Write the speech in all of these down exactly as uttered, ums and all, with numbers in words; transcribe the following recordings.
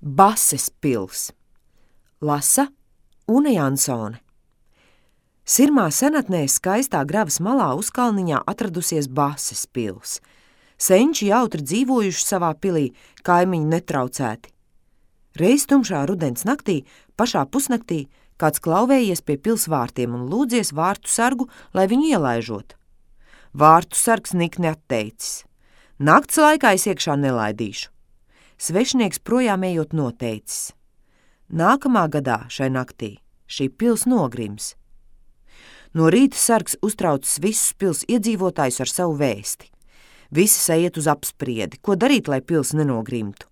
Bases pils. Lasa Une Jansone. Sirmā senatnē skaistā gravas malā uzkalniņā atradusies Bases pils. Senči jautri dzīvojuši savā pilī, kaimiņi netraucēti. Reiz tumšā rudens naktī, pašā pusnaktī, kāds klauvējies pie pils vārtiem un lūdzies vārtu sargu, lai viņu ielaižot. Vārtu sargs nikni atteicis. Nakts laikā es iekšā nelaidīšu. Svešinieks projām ejot noteicis. Nākamā gadā šai naktī šī pils nogrims. No rīta sargs uztraucis visus pils iedzīvotājus ar savu vēsti. Visi sajiet uz apspriedi, ko darīt, lai pils nenogrimtu.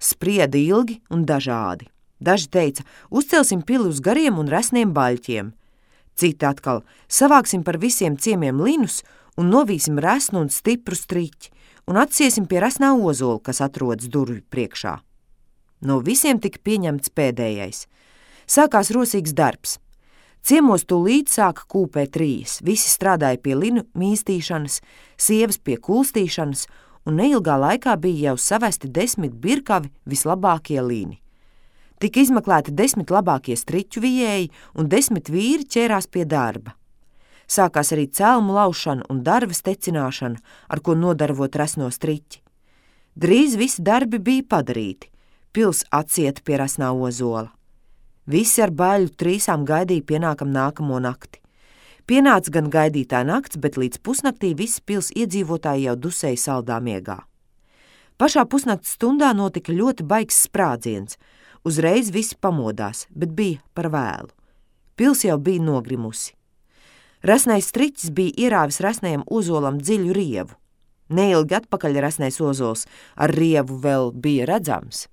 Sprieda ilgi un dažādi. Daži teica, uzcelsim pili uz gariem un resniem baļķiem. Citi atkal, savāksim par visiem ciemiem linus un novīsim resnu un stipru striķi un atsiesim pie resnā ozola, kas atrodas durvju priekšā. No visiem tika pieņemts pēdējais. Sākās rosīgs darbs. Ciemos tūlīt sāka kūpēt rijas, visi strādāja pie linu mīstīšanas, sievas pie kulstīšanas, un neilgā laikā bija jau savesti desmit birkavi vislabākie lini. Tika izmeklēti desmit labākie striķu vijēji, un desmit vīri ķērās pie darba. Sākās arī celmu laušana un darvas tecināšana, ar ko nodarvot resno striķi. Drīz visi darbi bija padarīti, pils atsieta pie resnā ozola. Visi ar baļu trīsām gaidīja pienākam nākamo nakti. Pienāca gan gaidītā nakts, bet līdz pusnaktī visi pils iedzīvotāji jau dusēja saldā miegā. Pašā pusnakts stundā notika ļoti baigs sprādziens. Uzreiz visi pamodās, bet bija par vēlu. Pils jau bija nogrimusi. Resnais striķis bija ierāvis resnajam ozolam dziļu rievu. Neilgi atpakaļ resnais ozols ar rievu vēl bija redzams.